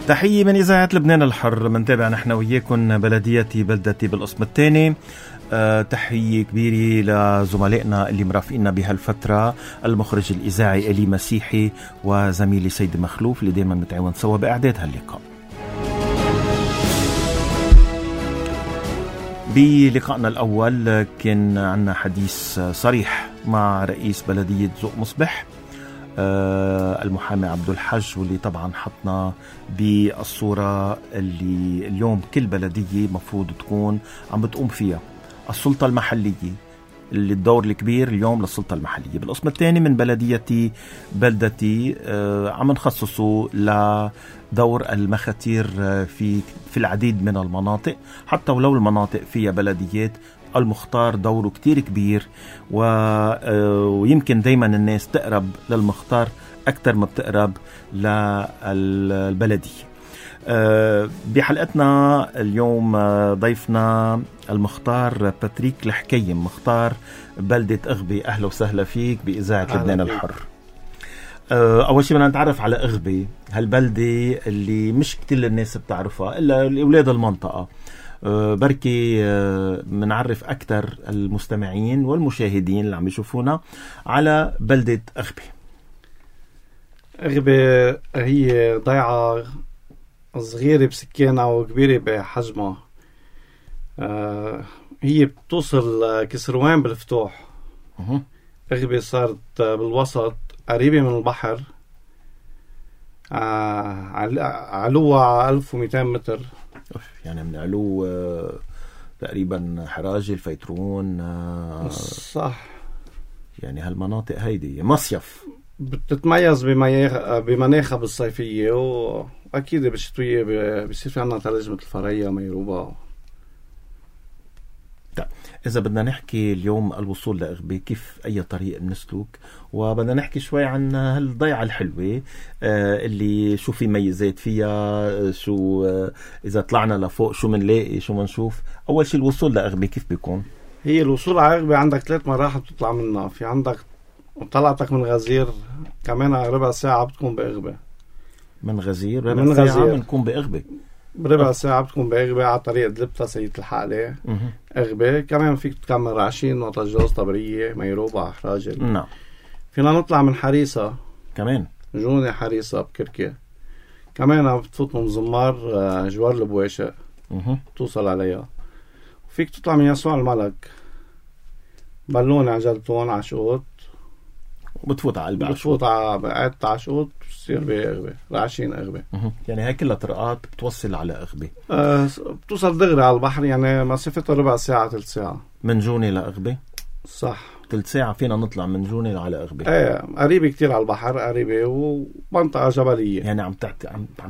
تحية من إذاعة لبنان الحر. منتابع نحن وياكم بلديتي بلدتي بالقسم الثاني. تحية كبيرة لزملائنا اللي مرافقيننا بهالفترة، المخرج الإذاعي إلي مسيحي وزميلي سيد مخلوف اللي دايما متعاون سوا بإعداد هاللقاء. بلقائنا الأول كان عنا حديث صريح مع رئيس بلدية ذوق مصبح المحامي عبد الحج، واللي طبعا حطنا بالصورة اللي اليوم كل بلدية مفروض تكون عم بتقوم فيها، السلطة المحلية، اللي الدور الكبير اليوم للسلطة المحلية. بالقسم الثاني من بلديتي بلدتي عم نخصصه لدور المخاتير في العديد من المناطق، حتى ولو المناطق فيها بلديات المختار دوره كتير كبير، ويمكن دايما الناس تقرب للمختار أكتر ما بتقرب للبلدية. بحلقتنا اليوم ضيفنا المختار باتريك الحكيم، مختار بلدة أغبي. أهلا وسهلا فيك بإذاعة لبنان الحر. أول شيء بدنا نتعرف على أغبي، هالبلدة اللي مش كتير الناس بتعرفها إلا أولاد المنطقة. بركي منعرف أكتر المستمعين والمشاهدين اللي عم يشوفونا على بلدة أغبي. أغبي هي ضيعة صغيرة بسكانها وكبيرة بحجمها. هي بتوصل كسروان بالفتوح. أغبي صارت بالوسط قريبة من البحر، علوها 1200 متر. يعني من علو تقريبا حراجي الفيترون. صح، يعني هالمناطق هيدي مصيف بتتميز بمناخها بالصيفية، وأكيد بالشتوية بيصير في عنا ثلج مثل فريا ميروبا. إذا بدنا نحكي اليوم الوصول لأغبي، كيف أي طريق بنسلك، وبدنا نحكي شوي عن هالضيعة الحلوة اللي شو في ميزات فيها، شو إذا طلعنا لفوق شو منلاقي شو منشوف. أول شيء الوصول لأغبي كيف بيكون؟ هي الوصول على أغبي عندك 3 مراحل بتطلع منها. في عندك طلعتك من غزير، كمان ربع ساعة بتكون بأغبي. من غزير ربع ساعة بنكون بأغبي، بربع ساعة بتكون بأغبي على طريق دلبتا سيد الحالة. أغبي كمان فيك تكمل رعشين وطجوز طبرية ميروبا حراجل. نعم. فينا نطلع من حريصة كمان، جوني حريصة بكركة، كمان بتفوت من زمار جوار البواشق توصل عليها. فيك تطلع من يسوع الملك بلون عجلتون عشوت، وبتفوت على قلب بتفوت على بقعة عشوت بتصير بأغبي رعشين أغبي. يعني هاي كلها طرقات بتوصل على أغبي. بتوصل دغري على البحر، يعني مسافة ربع ساعة 3 ساعة من جوني لأغبي. صح، 3 ساعة فينا نطلع من جوني على أغبي. قريبة كتير على البحر، قريبة ومنطقة جبلية. يعني عم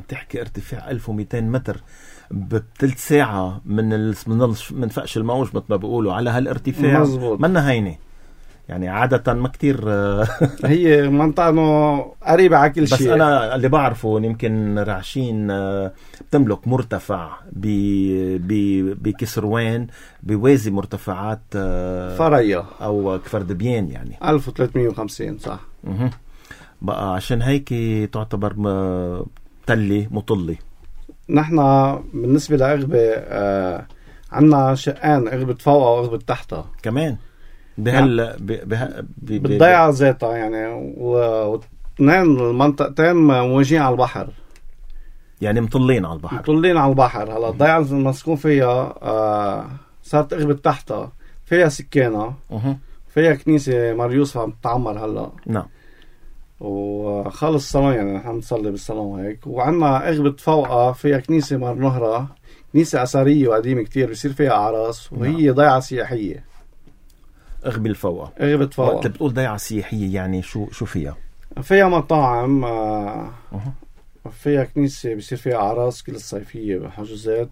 تحكي ارتفاع 1200 متر ب3 ساعة من فقش الموج مثل ما بيقولوا على هالارتفاع. مزبوط. منا هيني يعني عادة ما كتير هي منطقة قريبة على كل شيء. بس أنا اللي بعرفه يمكن رعشين بتملك مرتفع بكسروان بوازي مرتفعات فريا أو كفردبيان، يعني 1350. صح. بقى عشان هيك تعتبر تلي مطلي. نحن بالنسبة لأغبي عنا شقان، أغبي فوقها وأغبي تحتها كمان بالضيعة ذاتها، يعني واثنين المنطقتين مواجهين على البحر، يعني مطلين على البحر. هلا الضيعة المسكون فيها صارت أغبي تحتها فيها سكانة، فيها كنيسة مريوس عم تتعمر هلا. نعم. وخلص الصلاة، يعني نحن نصلي بالصلاة هيك. وعنا أغبي فوقها فيها كنيسة مر نهرة، كنيسة أثرية وقديمة كتير بيصير فيها أعراس، وهي ضيعة سياحية. أغبي الفوقة. أغبي فوقها. وقت بتقول ضيعة سياحية يعني شو فيها؟ فيها مطاعم، فيها كنيسة بيصير فيها أعراس كل الصيفية بحجوزات.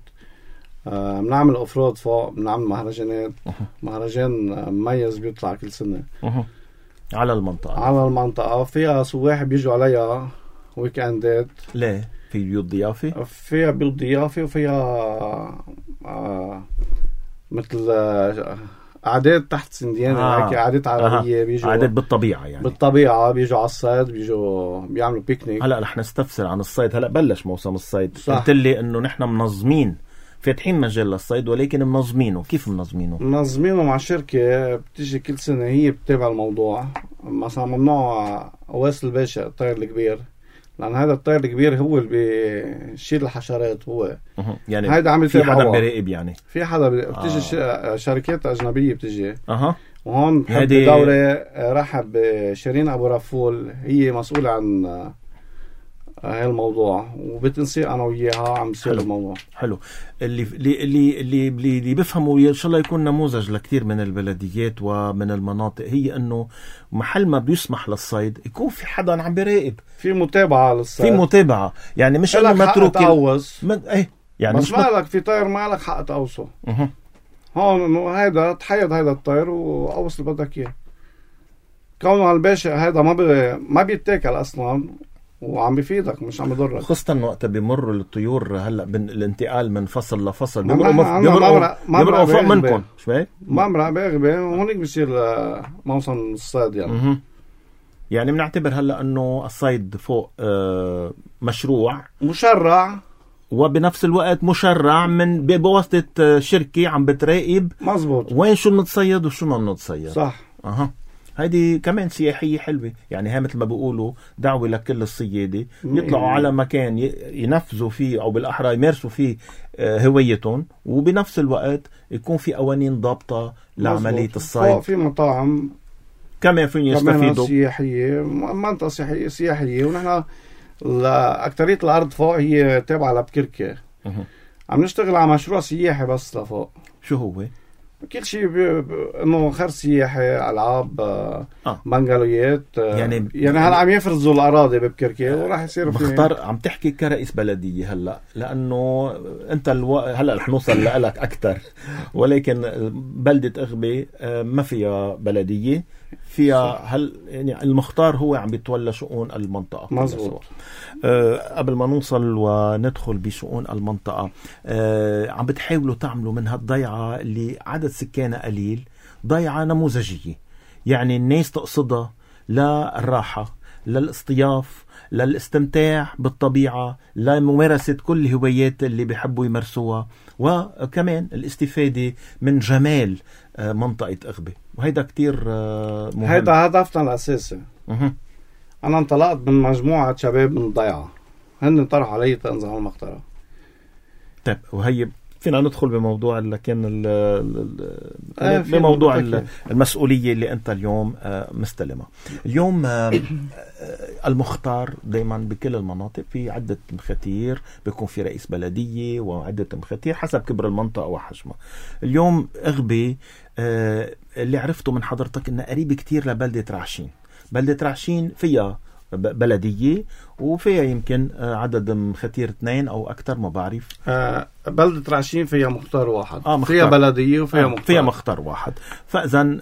بنعمل أوفرود فوق، بنعمل مهرجانات. مهرجان مميز بيطلع كل سنة على المنطقة. فيها سواح بيجوا عليها ويكاندات. ليه؟ في بيوت ضيافة؟ فيها بيوت ضيافة، وفيها مثل عادات تحت سنديانة هيك عادات عربية بيجوا عادات بالطبيعة يعني بالطبيعة بيجوا على الصيد بيجوا بيعملوا بيكنيك. هلا رح نستفسر عن الصيد. هلا بلش موسم الصيد. قلت لي انه نحن منظمين فاتحين مجال للصيد ولكن منظمينه. كيف منظمينه مع شركة بتيجي كل سنة هي بتتابع الموضوع. مثلا ممنوع قواس الباشا الطير الكبير لأن هذا الطير الكبير هو اللي بيشيل الحشرات. هو يعني هيدا عم في حدا بيراقب يعني في حدا بتيجي شركات أجنبية بتيجي وهون بحب هيدي دورة رحب شيرين أبو رفول هي مسؤولة عن هاي الموضوع وبتنسيق أنا وياها عم بصير الموضوع حلو. اللي بيفهموا إن شاء الله يكون نموذج لكثير من البلديات ومن المناطق هي إنه محل ما بيسمح للصيد يكون في حدا عم بيراقب في متابعة للصيد في متابعة يعني مش إنه متروك إيه يعني بس ما لك في طير ما لك حق تقوصه. هون هيدا تحيد هيدا الطير وقوص اللي بدك إياه. كونه الباشا هيدا ما بيتاكل أصلاً وعم بيفيدك مش عم يضرك. خاصة وقت بيمروا الطيور هلا الانتقال من فصل لفصل بيمرقوا فوق منكم شوي ممرق باغبة وهونيك بيصير موسم الصيد يعني. يعني بنعتبر هلا انه الصيد فوق مشروع مشرع وبنفس الوقت مشرع من بواسطة شركة عم بتراقب مزبوط وين شو بنتصيد وشو ما بنتصيد. صح. هيدي كمان سياحية حلوة يعني. هي مثل ما بيقولوا دعوة لكل الصيادة يطلعوا على مكان ينفذوا فيه أو بالأحرى يمارسوا فيه هوايتهم وبنفس الوقت يكون في قوانين ضابطة لعملية الصيد. في مطاعم كمان فين يستفيدوا سياحية منطقة سياحية ونحن أكترية الأرض فوق هي تابعة لبكركة. عم نشتغل على مشروع سياحي بس لفوق. شو هو؟ كل شيء انه خير سياحي العاب بنغالويات يعني هلا عم يفرزوا الاراضي ببكركي وراح يصيروا مختار. عم تحكي كرئيس بلديه هلا لانه انت هلا رح نوصل لك اكثر ولكن بلده اغبي ما فيها بلديه فيها يعني المختار هو عم بيتولى شؤون المنطقه. مزبوط. قبل ما نوصل وندخل بشؤون المنطقه عم بتحاولوا تعملوا من هالضيعه اللي عدد سكانها قليل ضيعه نموذجيه يعني الناس تقصدها للراحه للاصطياف للاستمتاع بالطبيعة لممارسة كل الهوايات اللي بيحبوا يمارسوها وكمان الاستفادة من جمال منطقة أغبي وهيدا كتير مهم. هيدا هدفنا الأساسي. أنا انطلقت من مجموعة شباب من الضيعة هن طرحوا علي تنزل المقطرة. طيب وهي فينا ندخل بموضوع لكن بموضوع المسؤولية اللي أنت اليوم مستلمة. اليوم المختار دايما بكل المناطق في عدة مختير بيكون في رئيس بلدية وعدة مختير حسب كبر المنطقة وحجمها. اليوم أغبي اللي عرفته من حضرتك إنه قريب كتير لبلدة رعشين. بلدة رعشين فيها بلدية وفيها يمكن عدد مختير 2 أو أكتر ما بعرف. بلدة رعشين فيها مختار واحد. مختار. فيها بلدية وفيها مختار. فيها مختار واحد. فإذن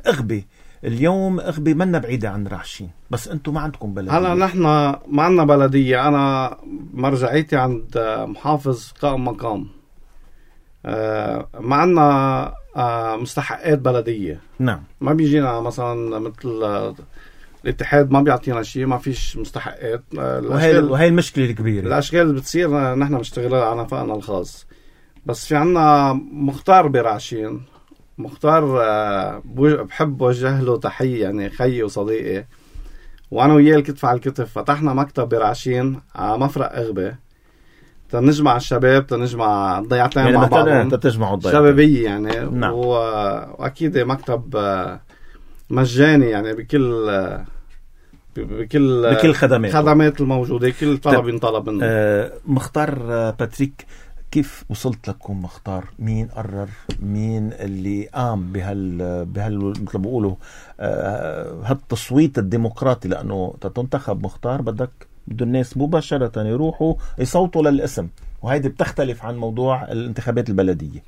أغبي اليوم أغبي منا بعيدة عن رعشين بس أنتم ما عندكم بلدية. هلا نحن ما عندنا بلدية. أنا مرجعيتي عند محافظ قائم مقام. ما عندنا مستحقات بلدية. نعم. ما بيجينا مثلا مثل الاتحاد ما بيعطينا شيء ما فيش مستحقات. وهي المشكلة الكبيرة. الأشغال اللي بتصير نحن بنشتغلها على نفقنا الخاص. بس في عنا مختار برعشين. مختار بحب وجه له تحية يعني خيي وصديقي وأنا وياه الكتف على الكتف فتحنا مكتب برعشين على مفرق أغبي تنجمع الشباب تنجمع الضيعتين يعني مع بعضهم شبابية يعني. نعم. وأكيد مكتب مجاني يعني بكل خدمات الموجودة كل طلب ينطلب منه. مختار باتريك كيف وصلت لكم مختار؟ مين قرر؟ مين اللي قام بهال مثل بيقولوا هالتصويت الديمقراطي؟ لأنه تنتخب مختار بده الناس مباشرة يروحوا يصوتوا للاسم وهيدي بتختلف عن موضوع الانتخابات البلدية.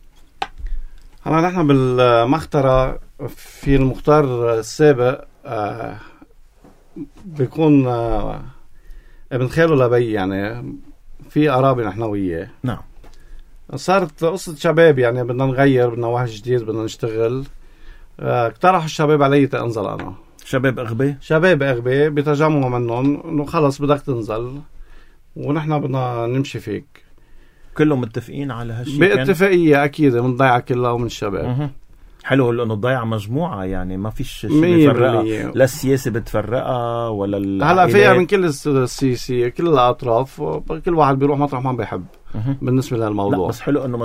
هلا نحن بالمخترة في المختار السابق بيكون ابن خاله لبي يعني في قرابة نحن وياه. نعم. صارت قصة شباب يعني بدنا نغير بدنا واحد جديد بدنا نشتغل اقترحوا الشباب علي تنزل أنا. شباب أغبى بتجمعوا منهم إنه خلص بدك تنزل ونحن بدنا نمشي فيك. كلهم متفقين على هالشيء؟ باتفاقية أكيد من ضيعة كلها ومن الشباب. حلو لأنه الضيعة مجموعة يعني ما فيش شيء بيفرقها، لا السياسة بتفرقها ولا العائلات. هلا فيها من كل السياسية كل الأطراف، كل واحد بيروح مطرح ما بيحب بالنسبة للموضوع. لا بس حلو إنه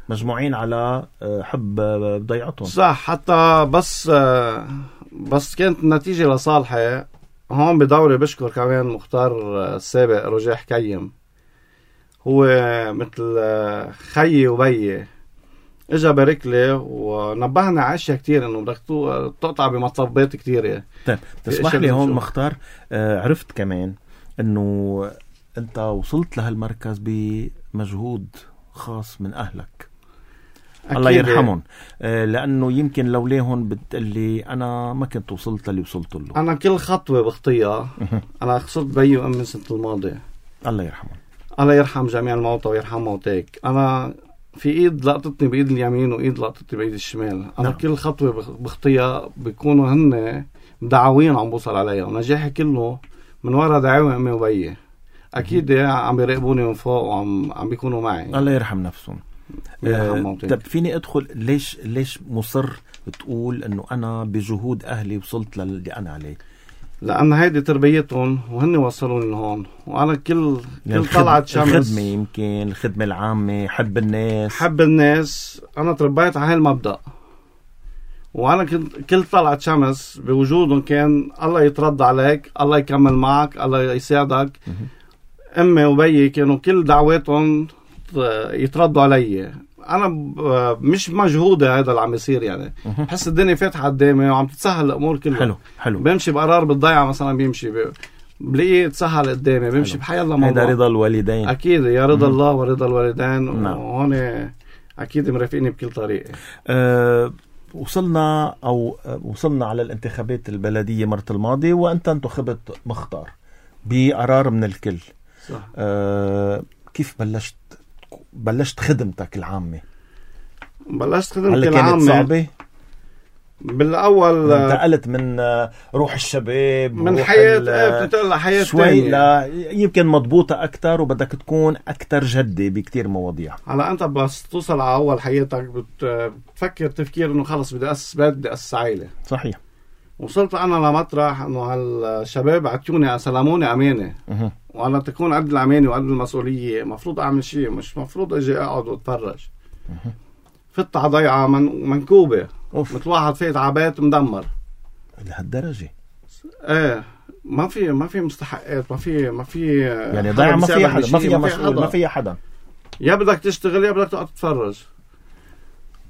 مجموعين على حب ضيعتهم. صح. حتى بس كانت النتيجة لصالحي. هون بدوري بشكر كمان مختار السابق رجاح كيم، هو مثل خيي وبيي، اجا بارك لي ونبهنا على اشياء كتير انه بدك تقطع بمطبات كتير. طيب تسمح لي هون مختار، عرفت كمان انه انت وصلت لهالمركز بمجهود خاص من اهلك الله يرحمهم، لانه يمكن لولاهم بتقلي انا ما كنت وصلت اللي وصلت له. انا كل خطوه بخطيها انا خسرت بيي وامي السنه الماضيه الله يرحمهم. الله يرحم جميع الموتى ويرحم موتاك. انا في ايد لقطتني بايد اليمين وايد لقطتني بايد الشمال. انا كل خطوه بخطيها بيكونوا هن دعاوين عم بوصل عليها، ونجاحي كله من وراء دعاوي امي وبيي. اكيد عم بيراقبوني من فوق وعم بيكونوا معي. الله يرحم نفسهم. طب فيني ادخل ليش مصر بتقول انه انا بجهود اهلي وصلت للي انا عليه؟ لأن هيدي تربيتهم وهن وصلوني لهون. وأنا كل طلعت شمس الخدمة، يمكن الخدمة العامة، حب الناس أنا تربيت على هالمبدأ. وأنا كل طلعت شمس بوجودهم كان الله يترضى عليك، الله يكمل معك، الله يساعدك. أمي وبيي كانوا كل دعواتهم يتردوا علي. أنا مش مجهودة هذا اللي عم يصير يعني. بحس الدنيا فاتحة قدامي وعم تتسهل الأمور كلها. حلو. بمشي بقرار بالضيعة مثلا، بيمشي بلاقيه تسهل قدامي، بمشي بحيالله موضوع. هذا رضا الوالدين أكيد، يا رضا الله ورضا الوالدين. وهون أكيد مرافقيني بكل طريقة. وصلنا على الانتخابات البلدية مرة الماضي، وأنت انتخبت مختار بقرار من الكل. صح. كيف بلشت خدمتك العامة؟ بلشت خدمتي العامة. كانت صعبة؟ بالأول انتقلت من روح الشباب من حياة بتنتقل لحياة شوي يمكن مضبوطة أكتر، وبدك تكون أكتر جدي بكتير مواضيع. هلا أنت بس توصل على أول حياتك بتفكر تفكير إنه خلص بدي أسس بيت، بدي أسس عائلة. صحيح. وصلت أنا لمطرح إنه هالشباب عطيوني سلموني أمانة، وأنا تكون قد الأمانة وقد المسؤولية مفروض أعمل شيء، مش مفروض أجي أقعد وأتفرج. فت على ضيعة منكوبة، مثل واحد فايت على بيت مدمر لهالدرجة. ايه ما في مستحقات، ما في يعني ضيعة ما فيها حدا، ما فيها حدا. يا بدك تشتغل يا بدك تقعد تتفرج.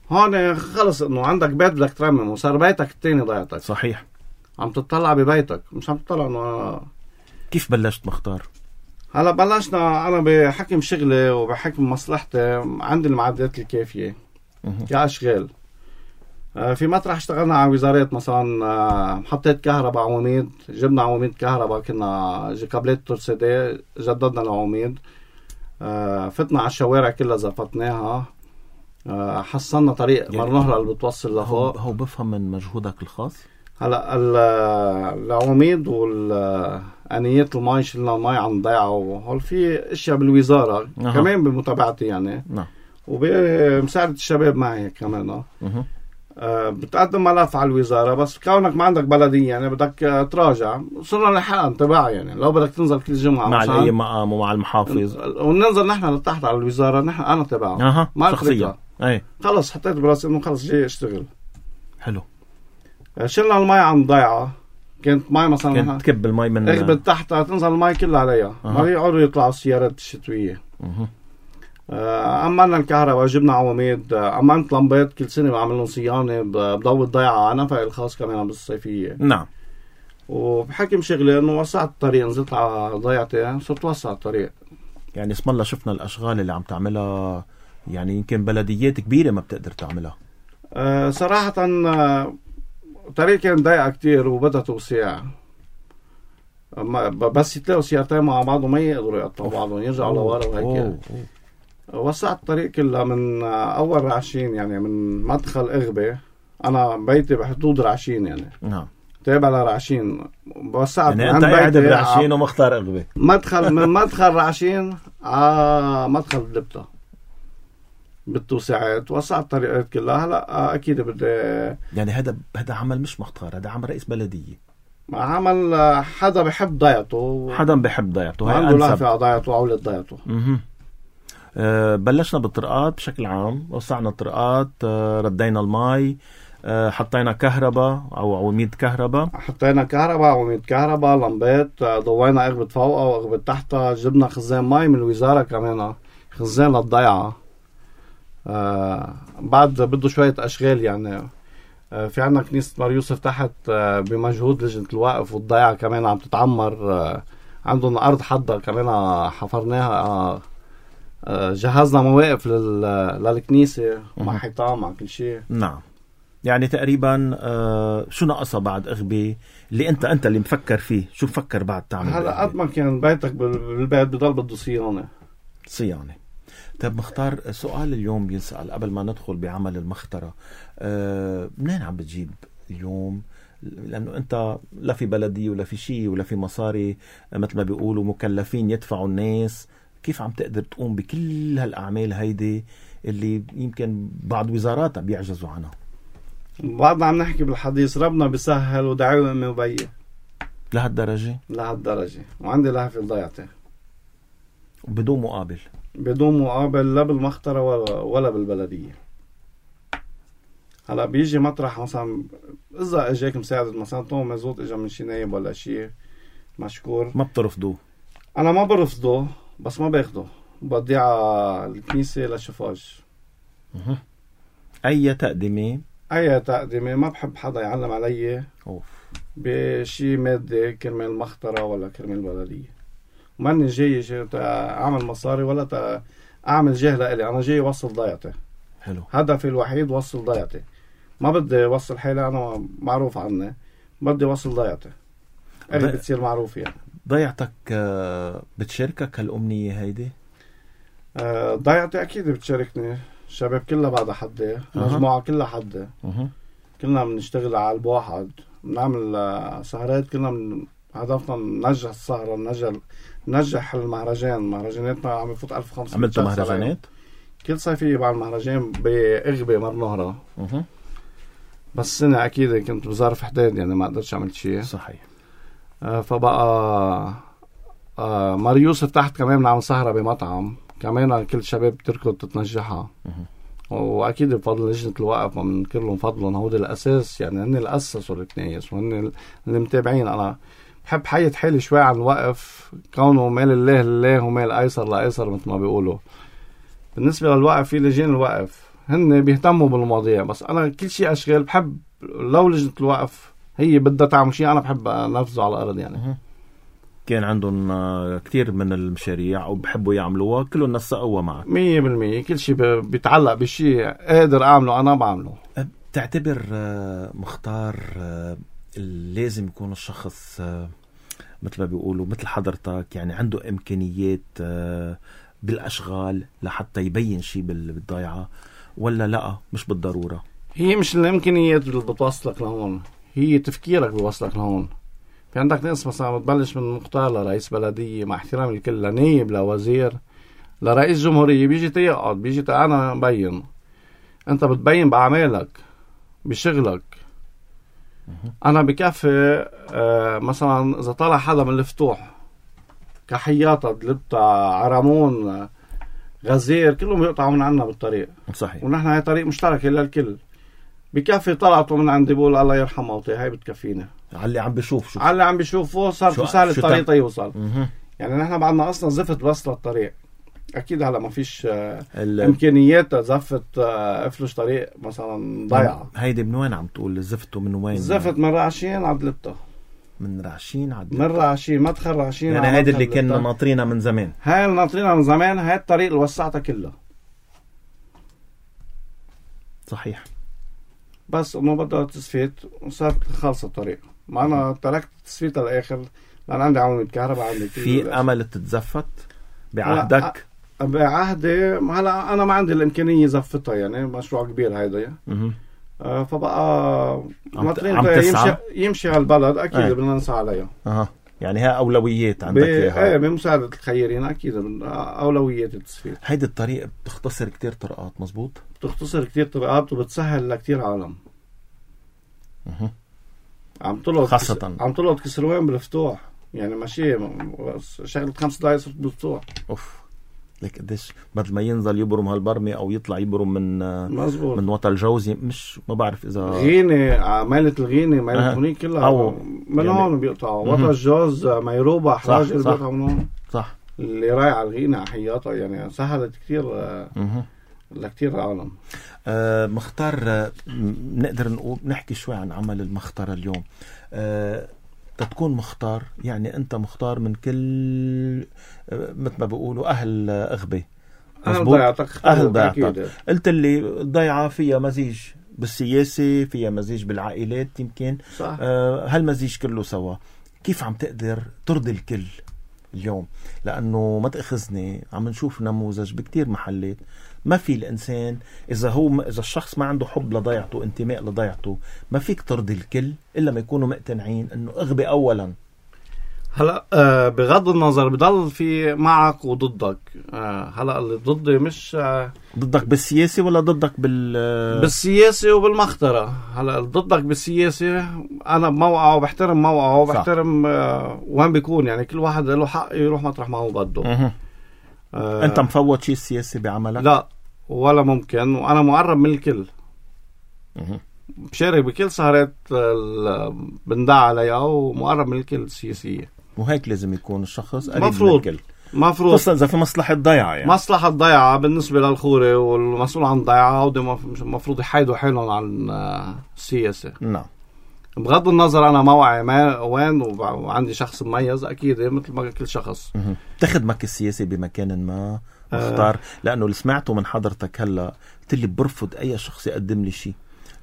هون خلص انه عندك بيت بدك ترمم، وصار بيتك التاني ضيعتك. صحيح. عم تطلع ببيتك، مش عم تطلع انه. كيف بلشت مختار؟ هلا بلشنا انا بحكم شغلي وبحكم مصلحتي، عندي المعدات الكافية كأشغال. في مطرح اشتغلنا على وزارات، مثلا محطة كهرباء عواميد، جبنا عواميد كهرباء، كنا كابلات ترسيدي جددنا العواميد. فتنا على الشوارع كلها زفتناها. حصلنا طريق مرنهرة اللي بتوصل لفوق. هو بفهم من مجهودك الخاص. هلا العواميد والآنيات المي، شلنا المي عن ضيعة، وهول في اشياء بالوزارة كمان بمتابعتي يعني. وبمساعدة الشباب معي كمان. بتقدم ملف على الوزارة، بس كونك ما عندك بلدية يعني بدك تراجع. صرنا نحن تبع يعني لو بدك تنزل كل جمعة مع أي مقام ومع المحافظ، وننزل نحن لتحت على الوزارة، نحن أنا تبعه ما شخصيا. خلص حطيت براسي إنه خلص جاي اشتغل. حلو. شلنا المي عن ضيعة، كانت مي مثلا كانت تكب المي من اغبت تحتها تنزل المي كلها عليها. ما يقعدوا يطلعوا السيارات الشتوية. أمنا الكهرباء، جبنا عواميد، أمنت لمبات كل سنة بعمل لهم صيانة بضوء الضيعة على نفق الخاص كمان بالصيفية. نعم. وبحكم شغلي إنه وسعت الطريق، نزلت على ضيعتي صرت وسع الطريق. يعني اسم الله شفنا الأشغال اللي عم تعملها، يعني يمكن بلديات كبيرة ما بتقدر تعملها. صراحة الطريق كان ضيقة كتير وبدها توسيع، بس يتلاقوا سيارتين مع بعض وما يقدروا يقطعوا بعضهم، يرجعوا لورا وهيك. وسعت الطريق كلها من أول رعشين، يعني من مدخل إغبة انا بيتي بحدود رعشين يعني. نعم. تابع لرعشين وسعت يعني انت قاعد برعشين ومختار اغبى. مدخل من مدخل رعشين مدخل دلبطة بالتوسعات، وسعت الطريقات كلها. هلا اكيد بدي يعني هذا عمل مش مختار، هذا عمل رئيس بلدية، عمل حدا بحب ضيعته، حدا بحب ضيعته، هاي عنده لافة على ضيعته وعولة ضيعته. بلشنا بالطرقات بشكل عام، وسعنا الطرقات، ردينا المي، حطينا كهرباء او عواميد كهرباء، عواميد كهرباء، لمبات، ضوينا اغبة فوقها واغبة تحتها، جبنا خزان مي من الوزارة كمان، خزان للضيعة. بعد بده شوية اشغال يعني. في عنا كنيسة مار يوسف تحت بمجهود لجنة الوقف والضيعة كمان عم تتعمر، عندهم ارض حدة كمان حفرناها، جهزنا مواقف للكنيسة مع حيطان مع كل شيء. نعم. يعني تقريبا شو ناقصها بعد اغبى اللي انت اللي مفكر فيه؟ شو مفكر بعد تعمل؟ هلا قد ما كان بيتك بالبيت بضل بده صيانة. طيب مختار، سؤال اليوم بينسأل قبل ما ندخل بعمل المخترة، منين عم بتجيب اليوم؟ لأنه أنت لا في بلدية ولا في شيء ولا في مصاري مثل ما بيقولوا مكلفين يدفعوا الناس، كيف عم تقدر تقوم بكل هالأعمال هيدي اللي يمكن بعض وزاراتها بيعجزوا عنها؟ بعدنا عم نحكي بالحديث، ربنا بيسهل ودعوة أمي وبي. لهالدرجة؟ وعندي لهفة ضيعتي بدون مقابل لا بالمخترة ولا بالبلدية. هلا بيجي مطرح مثلا إذا اجاك مساعدة مثلا طوم مزوط اجا من شي نايب ولا شي مشكور، ما بترفضوه؟ أنا ما برفضه بس ما باخده، بدي على الكنيسة للشفاج. أي تقدمة ما بحب حدا يعلم علي بشي مادة كرمال المخترة ولا كرمال البلدية. ماني جاي أعمل مصاري ولا أعمل جهة لإلي، أنا جاي وصل ضيعتي. حلو. هدفي الوحيد وصل ضيعتي، ما بدي وصل حالي أنا معروف عني، بدي وصل ضيعتي بتصير معروف. يعني ضيعتك بتشاركك هالأمنية هيدي؟ ضيعتي أكيد بتشاركني، الشباب كلها بعد حدي، مجموعة كلها حدي، كلنا بنشتغل على قلب واحد، بنعمل سهرات، كلنا هدفنا ننجح السهرة، ننجح مهرجاناتنا عم يفوت 1500. عملتوا مهرجانات؟ كل صيفية بعمل مهرجان بإغبى مرنهرة. بس سنة أكيد كنت بظرف حداد يعني ما قدرتش عملت شيء. صحيح. فبقى مار يوسف تحت كمان بنعمل سهرة بمطعم كمان، كل الشباب تركض تتنجحها. واكيد بفضل لجنة الوقف ما بننكر لهم فضلهم، هو الاساس يعني، هن اللي اسسوا الكنايس وهن اللي متابعين. انا بحب حيط حالي شوي عن الوقف، كونه مال الله لله ومال ايسر لايسر مثل ما بيقولوا. بالنسبة للوقف في لجان الوقف هن بيهتموا بالمواضيع، بس انا كل شيء اشغال بحب لو لجنة الوقف هي بدها تعمل شيء انا بحب انفذه على الارض يعني. كان عندهم كتير من المشاريع وبحبوا يعملوها، كلهم نسقوها معك 100%. كل شيء بيتعلق بشيء قادر أعمله أنا بعمله. تعتبر مختار لازم يكون الشخص مثل ما بيقولوا مثل حضرتك يعني عنده إمكانيات بالأشغال لحتى يبين شيء بالضيعة، ولا لا مش بالضرورة؟ هي مش الإمكانيات اللي بتوصلك لهون، هي تفكيرك بيوصلك لهون. في عندك ناس مثلا بتبلش من مختار لرئيس بلدية، مع احترام الكل، لنايب لوزير لرئيس جمهورية، بيجي تيقعد أنا ببين. أنت بتبين بأعمالك بشغلك. أنا بكفي مثلا إذا طلع حدا من الفتوح كحياطة دلبتا عرمون غزير كلهم يقطعوا من عنا بالطريق. صحيح. ونحن هاي طريق مشترك للكل. بكفي طلعتوا من عندي بقول الله يرحمه وطي، هاي بتكفينا. على اللي عم بيشوف على اللي عم بيشوف صار سهل الطريق يوصل. يعني نحن بعدنا اصلا زفت بس للطريق، اكيد هلا ما فيش امكانيات زفت افلش طريق مثلا ضيعه. هيدي من وين عم تقول زفتوا؟ من وين؟ زفت من رعشين على دلبطة. من رعشين مدخل رعشين يعني هيدي اللي كنا ناطرينها من زمان. هاي اللي ناطرينها من زمان، هاي الطريق اللي وسعتها كلها. صحيح. بس انه بدها تسفيت وصارت خلص الطريق، ما انا تركت تسفيت للاخر لان عندي عواميد كهرباء، عندي في امل تتزفت بعهدك؟ بعهدي هلا انا ما عندي الامكانيه زفتها يعني، مشروع كبير هيدا. فبقى عم يمشي على البلد أكيد بدنا نسعى عليها. يعني ها أولويات عندك إياها. بمساعدة الخيرين أكيد أولويات التصفية. هيدي الطريقة بتختصر كتير طرقات. مزبوط. بتختصر كتير طرقات وبتسهل لكتير عالم. عم طلعت كسروان بالفتوح، يعني ماشي شغلة 5 دقايق صرت بالفتوح. لك قديش بدل ما ينزل يبرم هالبرمي او يطلع يبرم من وطا الجوزي، مش ما بعرف اذا غينة مالت الغينة مالت هونيك كلها من يعني هون بيقطعوا وطا الجوز ميروبة حراج بيقطعوا من هون. صح. اللي رايح على الغينة حياتها يعني سهلت كتير لكتير عالم. مختار، نقدر نقول نحكي شوي عن عمل المختار اليوم. تكون مختار، يعني أنت مختار من كل مثل ما بيقولوا أهل أغبى. أهل ضيعتك. قلت اللي ضيعة فيها مزيج بالسياسة، فيها مزيج بالعائلات يمكن. صح. هالمزيج كله سوا. كيف عم تقدر ترضي الكل اليوم؟ لأنه ما تأخذني، عم نشوف نموذج بكتير محلات ما في الإنسان إذا الشخص ما عنده حب لضيعته، انتماء لضيعته، ما فيك ترضي الكل إلا ما يكونوا مقتنعين أنه أغبى أولا. هلأ بغض النظر بضل في معك وضدك. هلأ اللي ضدي مش ضدك بالسياسة ولا ضدك بالسياسة وبالمخطرة. هلأ ضدك بالسياسة أنا بموقعه وبحترم موقعه وبحترم وين بيكون، يعني كل واحد له حق يروح مطرح ما هو بده. أنت مفوت شيء السياسي بعملك؟ لا ولا ممكن، وأنا مقرب من الكل. بشارك بكل سهرات بندع عليها ومقرب من الكل السياسية. وهيك لازم يكون الشخص قريب من الكل. مفروض خصوصا إذا في مصلحة ضيعة، يعني مصلحة ضيعة بالنسبة للخوري والمسؤول عن ضيعة، وده مفروض يحيدوا حيلهم عن السياسة. نعم. بغض النظر أنا موعي وين وعندي شخص مميز أكيد مثل ما كل شخص. تخدمك السياسي بمكان ما مختار؟ لأنه اللي سمعته من حضرتك هلا قلت لي برفض أي شخص يقدم لي شيء،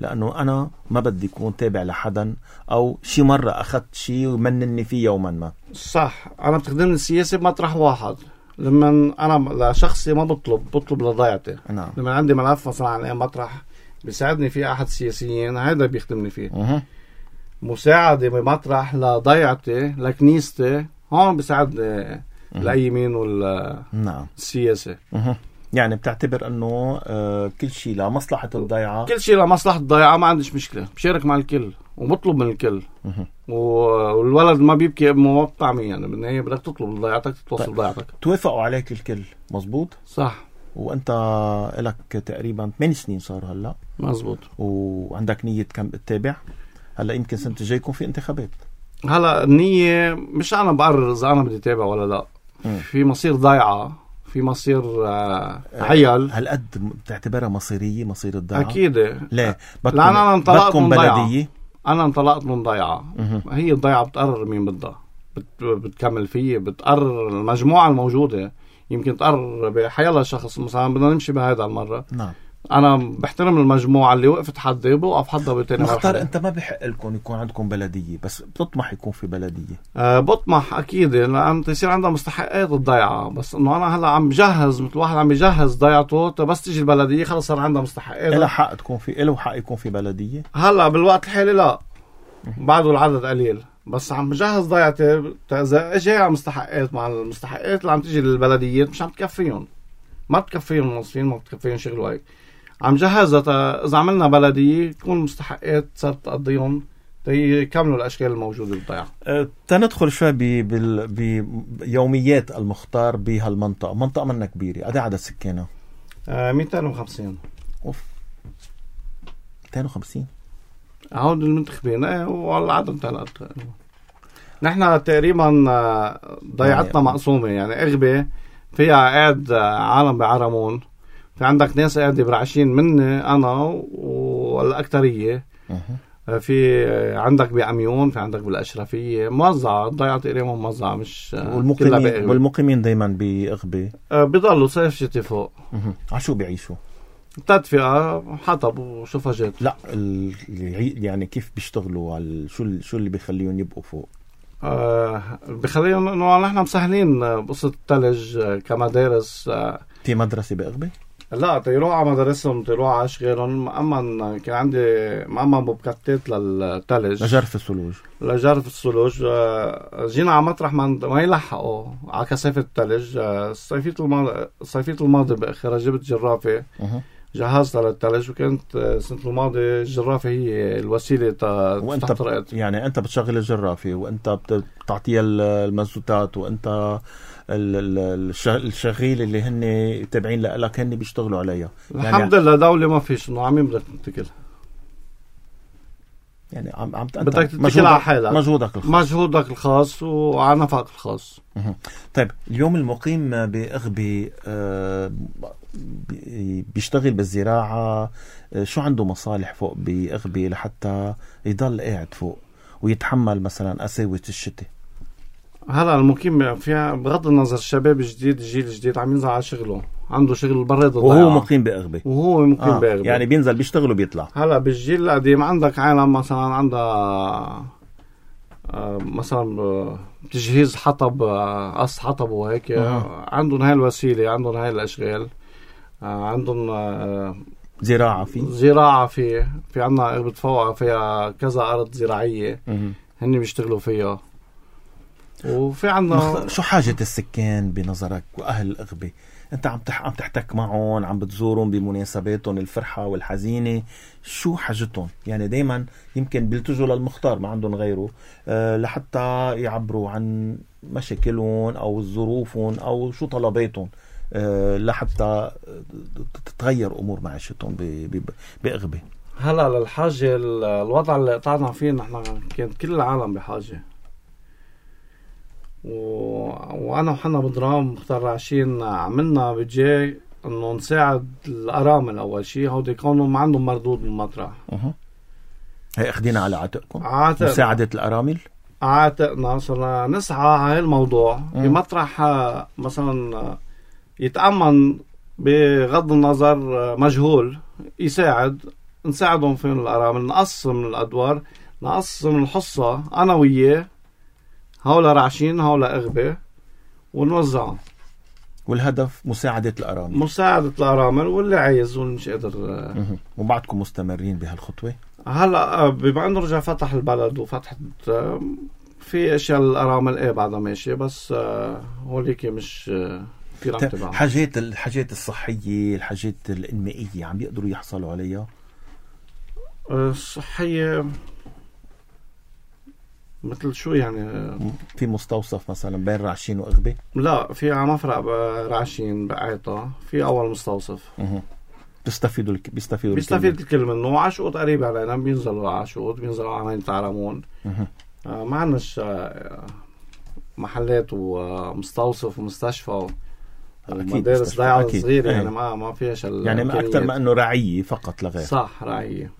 لأنه أنا ما بدي يكون تابع لحدا أو شي مرة أخذت شي ومنني فيه يوما ما. صح. أنا بتخدمني السياسي بمطرح واحد. لما أنا لشخصي ما بطلب لضيعتي. نعم. لما عندي ملف مثلا عن أي مطرح بيساعدني فيه أحد السياسيين، هذا بيخدمني فيه. مساعدة بمطرح لضيعتي لكنيستي، هون بيساعدني لأيمين والسياسة. يعني بتعتبر أنه كل شيء لمصلحة الضيعة؟ كل شيء لمصلحة الضيعة، ما عنديش مشكلة، بشارك مع الكل وبطلب من الكل. والولد ما بيبكي أمه بطعمي، يعني بالنهاية بدك تطلب ضيعتك توصل ضيعتك. توافقوا عليك الكل. مزبوط. صح. وأنت لك تقريبا 8 سنين صار هلأ. مزبوط. وعندك نية كم تتابع؟ هلأ يمكن سنة الجاي يكون في انتخابات. هلأ النية مش أنا بقرر إذا أنا بدي تابع ولا لا. في مصير ضيعة، في مصير عيال. هالقد بتعتبرها مصيرية، مصير الضيعة؟ أكيد. لا أنا انطلقت من بلدية. أنا انطلقت من ضيعة. هي الضيعة بتقرر مين بدها بتكمل فيه، بتقرر المجموعة الموجودة. يمكن تقرر بحيالله شخص مثلا بدنا نمشي بهذا المرة. نعم. أنا بحترم المجموعة اللي وقفت حدي بوقف حدها بتاني مرحلة. مختار، أنت ما بحق لكم يكون عندكم بلدية، بس بتطمح يكون في بلدية؟ بطمح أكيد، لأن تصير عندها مستحقات الضيعة. بس إنه أنا هلا عم بجهز مثل واحد عم بيجهز ضيعته، بس تيجي البلدية خلص صار عندها مستحقات. إله حق تكون في، إله حق يكون في بلدية. هلا بالوقت الحالي لا، بعده العدد قليل، بس عم بجهز ضيعتي. إذا إجي على مستحقات، مع المستحقات اللي عم تيجي للبلديات مش عم تكفيهم، ما بتكفيهم الموظفين، ما بتكفيهم شغل. وهيك عم جهزها إذا عملنا بلدية تكون المستحقات صارت تقضيهم يكملوا الأشكال الموجودة بالضيعة. تندخل شوي بيوميات المختار بهالمنطقة. منطقة منا كبيرة، قد عدد سكانها؟ 250. أوف، 250 هون المنتخبين. والعدد ثلاث. نحن تقريبا ضيعتنا مقسومة، يعني أغبى فيها قاعد عالم بعرمون، في عندك ناس قاعدة برعشين مني أنا والأكترية. في عندك بعميون، في عندك بالأشرفية، موزعة الضيعة تقريبا موزعة، مش والمقيمين دايما بأغبى بيضلوا صيف شتي فوق. عشو بيعيشوا؟ تدفئة، حطب وشفاجات. لا يعني كيف بيشتغلوا على شو اللي بيخليهم يبقوا فوق؟ بيخليهم إنه نحن مسهلين بقصة الثلج كمدارس. في مدرسة بأغبى؟ لا تيروح على مدارسهم تيروح على اشغالهم. مأمن كان عندي مأمن بوكاتات للثلج لجرف الثلوج. لجرف الثلوج. جينا على مطرح ما يلحقوا على كثافة الثلج. الصيفية الماضي بأخرها جبت جرافة جهزتها للثلج، وكانت السنة الماضية الجرافة هي الوسيلة وانت يعني انت بتشغل الجرافة وانت بتعطيها المازوتات، وانت الشغيل اللي هن تابعين لك هن بيشتغلوا عليها. الحمد لله دولة ما فيش انه عمين بدك تتكل، يعني بدك تتكل على حالك، مجهودك الخاص وعلى نفقك الخاص. طيب اليوم المقيم بأغبي بيشتغل بالزراعة، شو عنده مصالح فوق بأغبي لحتى يضل قاعد فوق ويتحمل مثلا قساوة الشتاء؟ هلا المقيم فيها بغض النظر الشباب الجديد الجيل الجديد عم ينزل على شغله، عنده شغل براد الضيعة وهو مقيم بأغبي بأغبي يعني بينزل بيشتغل وبيطلع. هلا بالجيل القديم عندك عالم مثلا عندها مثلا تجهيز حطب، قص حطب وهيك، عندهم هاي الوسيلة، عندهم هاي الأشغال، عندهم زراعة في عندنا أغبة فوقها فيها كذا أرض زراعية هني بيشتغلوا فيها. وفي عندنا شو حاجة السكان بنظرك وأهل الأغبة؟ أنت عم تحتك معهم، عم بتزورهم بمناسباتهم الفرحة والحزينة، شو حاجتهم؟ يعني دايما يمكن بيلتجوا للمختار، ما عندهم غيره، لحتى يعبروا عن مشاكلهم أو ظروفهم أو شو طلباتهم، لحتى تتغير أمور معيشتهم بأغبة. هلا للحاجة الوضع اللي قطعنا فيه نحن كانت كل العالم بحاجة، وانا وحنا بدرام مختار راشين عملنا بجي انه نساعد الارامل. اول شيء هودي كانوا ما عندهم مردود من المطرح، هي اخدينا على عاتقكم مساعدة الارامل. عاتقنا صرنا نسعى على هالموضوع بمطرح مثلا يتأمن بغض النظر مجهول يساعد، نساعدهم في الارامل، نقسم الادوار، نقسم الحصة انا وياه، هؤلاء رعشين هؤلاء أغبة، ونوزعهم. والهدف مساعدة الأرامل واللي عايز واللي مش قادر. وبعدكم مستمرين بهالخطوة؟ هلا بما انه رجع فتح البلد وفتحت في اشياء الأرامل بعدها ماشية، بس هوليك مش في رابطة. الحاجات الصحية، الحاجات الإنمائية عم بيقدروا يحصلوا عليها؟ الصحية مثل شو يعني؟ في مستوصف مثلا بين رعشين وأغبة؟ لا، في عم افرق رعشين بقعطة، في أول مستوصف. بيستفيد الكل منه. وعشقوط قريب علينا، بينزلوا عشقوط، بينزلوا على مدينة عرمون. ما عندناش محلات ومستوصف ومستشفى ومدارس ضيعة صغيرة، يعني ما فيهاش يعني أكثر ما أنه رعية فقط لغير. صح، رعية.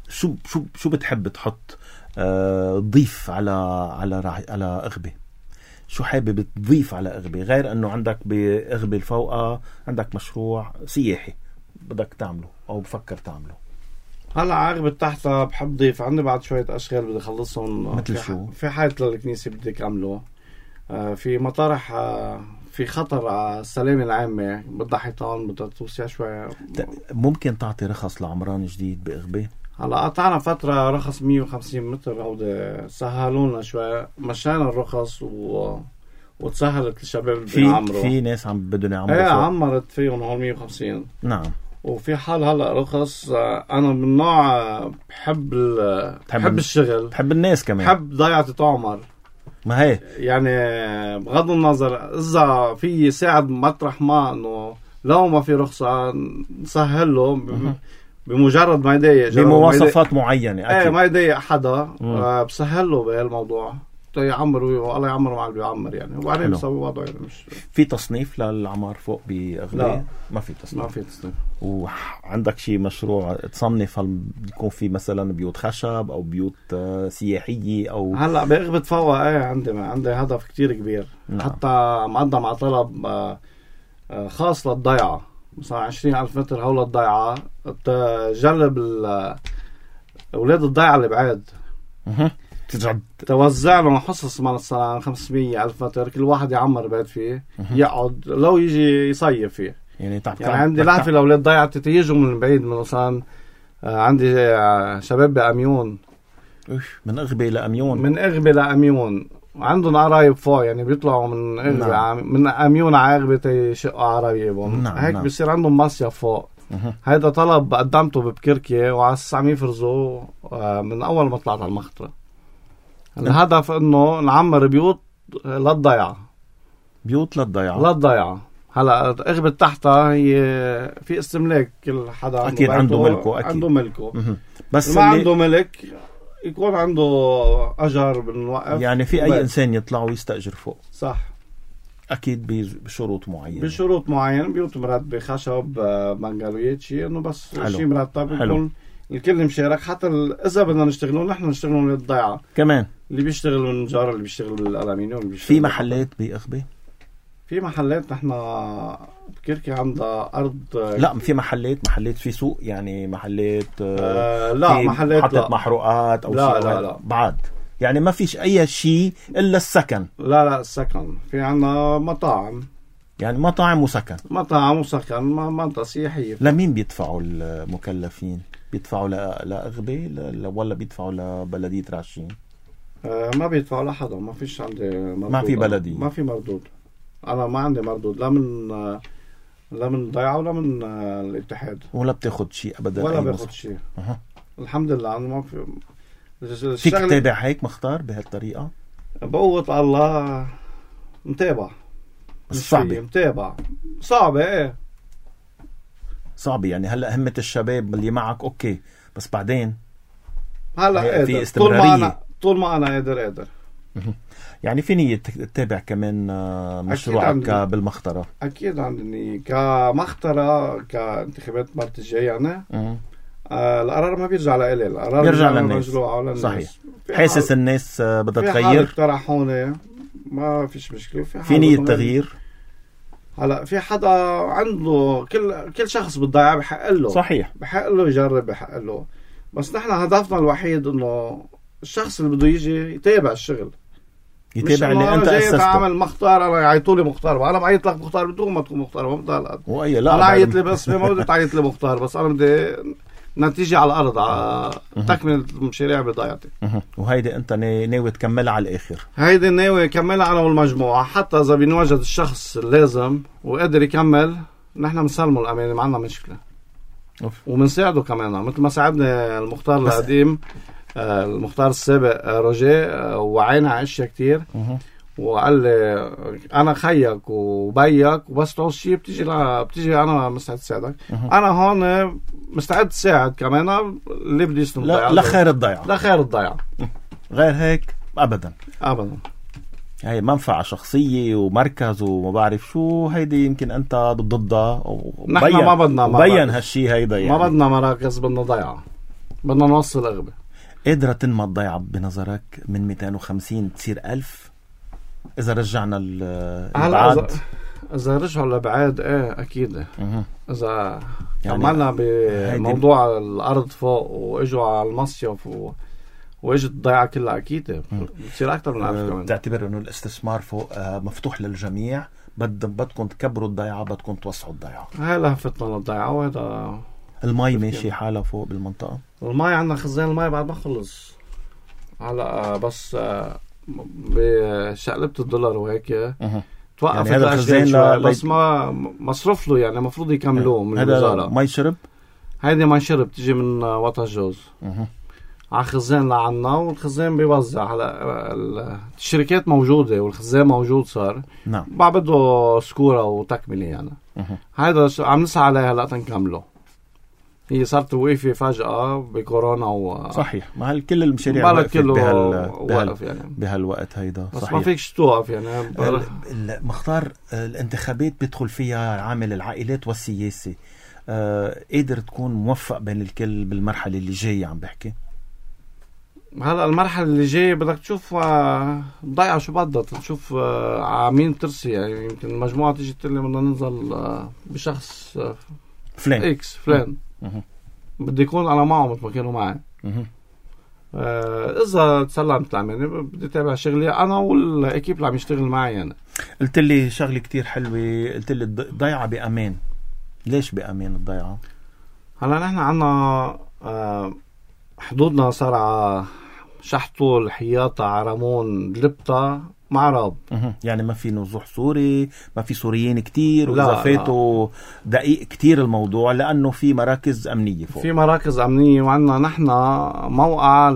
شو بتحب تحط تضيف على أغبة؟ شو حابب تضيف على أغبة غير أنه عندك بأغبة الفوقة عندك مشروع سياحي بدك تعمله أو بفكر تعمله؟ هلا عقبة تحتها بحب ضيف عندي بعد شوية أشغال بدي أخلصهم. مثل شو؟ في حيط للكنيسة بدي أعمله، في مطارح، في خطر على السلامة العامة، بدها حيطان، بدها توسيع شوية. ممكن تعطي رخص لعمران جديد بأغبة؟ هلا قطعنا فترة رخص 150 متر، هودي سهلونا شوي، مشينا الرخص وتسهلت الشباب بيعمروا. في ناس عم بدهم يعمروا. عمرت فيهم هون 150. نعم. وفي حال هلا رخص. انا من نوع بحب الشغل، بحب الناس كمان، بحب ضيعة تعمر. ما هي يعني بغض النظر اذا في يساعد مطرح ما، انه لو ما في رخصة نسهل له بمجرد ما يضايق بمواصفات معينة. أكيد. ما يضايق حدا، بسهل له بهالموضوع يعمر، والله يعمر مع اللي بيعمر يعني، وبعدين بيسوي وضعه. يعني مش في تصنيف للعمار فوق بأغبة؟ لا، ما في تصنيف. وعندك شي مشروع تصنف؟ هل بيكون في مثلا بيوت خشب او بيوت سياحية او؟ هلا بأغبة فوقها عندي هدف كتير كبير. نعم. حتى مقدم على طلب خاص للضيعة، مثلا 20,000 متر هول الضيعة، تجلب أولاد الضيعة اللي بعاد، توزع لهم حصص مثلا 500,000 متر، كل واحد يعمر بيت فيه، يقعد لو يجي يصيف فيه. يعني عندي لهفة لأولاد ضيعة تيجوا من بعيد، من مثلا عندي شباب بأميون، من أغبي لأميون عندهم قرايب فوق، يعني بيطلعوا من أغبي نعم. من أميون على أغبي تيشقوا عرايبهم نعم. هيك نعم. بيصير عندهم مصيف فوق. هيدا طلب قدمته ببكركي وعلى عم يفرزوا من أول ما طلعت على المخطرة. الهدف إنه نعمر بيوت للضيعة. هلا أغبي تحتها هي في استملاك، كل حدا أكيد عنده ملكه. بس ما عنده ملك يكون عنده أجر بنوقف، يعني في أي إنسان يطلع ويستأجر فوق صح، أكيد بشروط معينة بيوت مرتبة خشب بنجالويات شيء، إنه بس شيء مرتب يكون الكل مشارك. حتى إذا بدنا نشتغلون نحن نشتغلون للضيعة كمان، اللي بيشتغل من النجار، اللي بيشتغل بالألمنيوم، في محلات بأغبي، في محلات نحن بكركي عندها أرض. لا في محلات في سوق، يعني محلات لا محلات حطت محروقات أو لا بعد، يعني ما فيش أي شيء إلا السكن. لا السكن في عنا مطاعم، يعني مطاعم وسكن منطقة سياحية. لمين بيدفعوا المكلفين؟ بيدفعوا لأغبي ولا بيدفعوا لبلدية راشين؟ ما بيدفعوا لحدا، ما فيش عندي مردود. ما في بلدي، ما في مردود. أنا ما عندي مردود لا من ضيعة ولا من الاتحاد، ولا بتاخد شيء أبدا، ولا باخد شيء. الحمد لله. أنا ما فيك تتابع هيك مختار بهالطريقة؟ بقوة الله متابع، بس صعبة. متابع صعبة صعبة. يعني هلأ همة الشباب اللي معك أوكي، بس بعدين هلأ في استمرارية. طول ما أنا قادر. يعني في نية تتابع كمان مشروعك بالمخطرة؟ أكيد عندي كمخطرة، كانتخابات مرت الجاي يعني. القرار ما بيرجع لإلي، القرار بيرجع للناس. صحيح. حاسس الناس بدها تغير، اقترحوني ما فيش مشكلة. في نية تغيير. هلا في حدا عنده كل شخص بالضيعة بحق له، صحيح، بحق له يجرب، بحق له. بس نحن هدفنا الوحيد انه الشخص اللي بده يجي يتابع الشغل، يتابع اللي انت اسسته. تعمل مختار، انا يعيطوا لي مختار، انا بعيط لك مختار بدون ما تكون مختار، ما بدي هالقد. لا انا عيط لي باسمي، ما بدي تعيط لي مختار، بس انا بدي نتيجة على الارض، على تكمل المشاريع بضيعتي. وهيدي انت ناوي تكملها على الاخر؟ هيدي ناوي اكملها انا والمجموعة، حتى اذا بنوجد الشخص اللازم وقادر يكمل نحن بنسلمه الامانة، ما عندنا مشكلة. وبنساعده كمان مثل ما ساعدنا المختار القديم، المختار السابق روجيه، وعينا على اشياء كتير، وقال لي انا خيك وبيك، وبس تعوز شيء بتيجي انا مستعد اساعدك. انا هون مستعد اساعد كمان اللي بده يسلم الضيعة، لخير الضيعة. غير هيك ابدا. هي منفعة شخصية ومركز وما بعرف شو، هيدي يمكن انت ضدها. نحن ما بدنا بين هالشي هيدا، يعني ما بدنا مراكز، بدنا ضيعة، بدنا نوصل أغبى. قادرة تنمى الضيعة بنظرك من 250 تصير 1000 إذا رجعنا البعاد؟ إذا رجعوا الأبعاد أكيد. إذا يعني عملنا بموضوع الأرض فوق وإجوا على المصيف وإجت الضيعة كلها، أكيد بتصير أكتر من 1000 كمان. تعتبر إنه الاستثمار فوق مفتوح للجميع؟ بدكم تكبروا الضيعة، بدكم توسعوا الضيعة؟ هاي لهفتنا للضيعة. وهذا المي ماشي حالة فوق بالمنطقة؟ المي عندنا خزان المي بعد ما خلص هلا، بس بشقلبة الدولار وهيك توقف يعني هذا الخزان بس ما مصرف له، يعني المفروض يكملوه من الوزارة. مي شرب؟ هيدي مي شرب تجي من وطا جوز على خزان لعنا، والخزان بيوزع. هلا الشركات موجودة والخزان موجود صار. نعم. بعده سكورة وتكملة يعني. هيدا عم نسعى عليها هلا تنكمله. هي صارت وقفة فجأة بكورونا صحيح، ما كل المشاريع وقفت بهالوقت هيدا. بس صحيح. ما فيكش توقف يعني. مختار الانتخابات بيدخل فيها عامل العائلات والسياسة، قادر تكون موفق بين الكل بالمرحلة اللي جاية؟ عم بحكي هلا المرحلة اللي جاية بدك تشوف ضيعة شو بدها تشوف عامين ترسي. يعني يمكن المجموعة تيجي تقول لي بدنا ننزل بشخص فلان اكس فلان، بدي يكون على معه مثل ما كانوا معي. اذا تسلمت العماني بدي اتابع شغلي انا والاكيب اللي عم يشتغل معي. يعني قلت لي شغله كتير حلوه، قلت لي الضيعه بامان. ليش بأمان الضيعة؟ هلا نحن عنا حدودنا صار على شحطو، الحياطة، عرمون، دلبطة، معرب. يعني ما في نزوح سوري، ما في سوريين كتير، وإذا فاتوا دقيق كتير الموضوع، لأنه في مراكز أمنية فوق. في مراكز أمنية، وعنا نحن موقع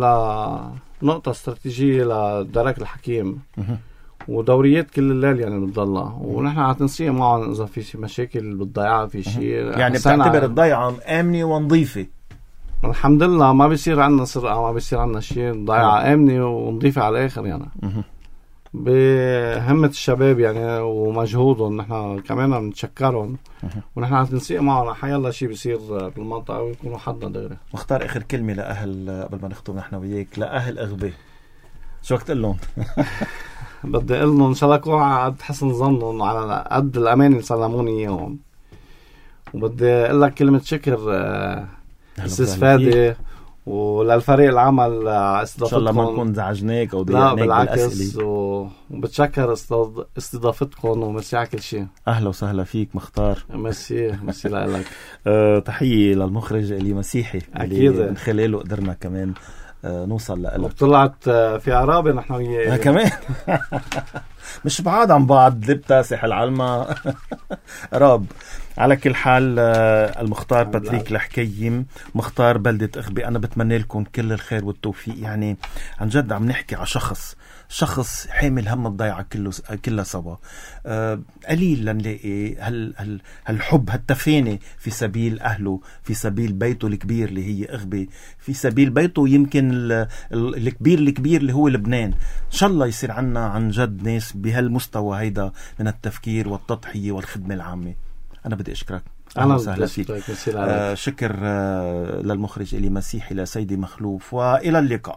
لنقطة استراتيجية لدرك الحكيم، ودوريات كل الليل يعني بتضلها، ونحن على تنسيق معهم إذا في مشاكل بالضيعة، في شيء. يعني بتعتبر الضيعة آمنة ونظيفة؟ الحمد لله ما بيصير عنا سرقة، ما بيصير عنا شيء، الضيعة آمنة ونظيفة على الآخر يعني. بهمة الشباب يعني ومجهودهم، نحن كمان بنتشكرهم، ونحن على تنسيق معهم حيالله شيء بيصير بالمنطقة ويكونوا حدنا دغري. مختار، آخر كلمة لأهل قبل ما نختم نحن وياك، لأهل أغبي شو قلت لهم؟ بدي أقول لهم إن شاء الله يكونوا على قد حسن ظنهم، على قد الأمان اللي سلموني إياهم. وبدي أقول لك كلمة شكر أستاذ فادي وللفريق العمل على استضافتكم. إن شاء الله ما نكون زعجناك أو ضيعناك بالعكس، وبتشكر استضافتكم ومسي على كل شيء. أهلا وسهلا فيك مختار. مسي لك. تحية للمخرج إلي مسيحي، أكيد من خلاله قدرنا كمان نوصل لك. وطلعت في عرابة نحن وياه كمان. مش بعاد عن بعض، لبتا ساحل علما راب. على كل حال المختار باتريك الحكيم، مختار بلدة أغبي، أنا بتمنى لكم كل الخير والتوفيق. يعني عن جد عم نحكي على شخص حامل هم الضيعة كلها سوا. قليل لنلاقي هالحب، هالتفاني في سبيل أهله، في سبيل بيته الكبير اللي هي أغبي، في سبيل بيته يمكن الكبير اللي هو لبنان. إن شاء الله يصير عنا عن جد ناس بهالمستوى هيدا من التفكير والتضحية والخدمة العامة. أنا بدي أشكرك. أهلا وسهلا فيك. شكر للمخرج إلي مسيحي، لسيدي مخلوف، وإلى اللقاء.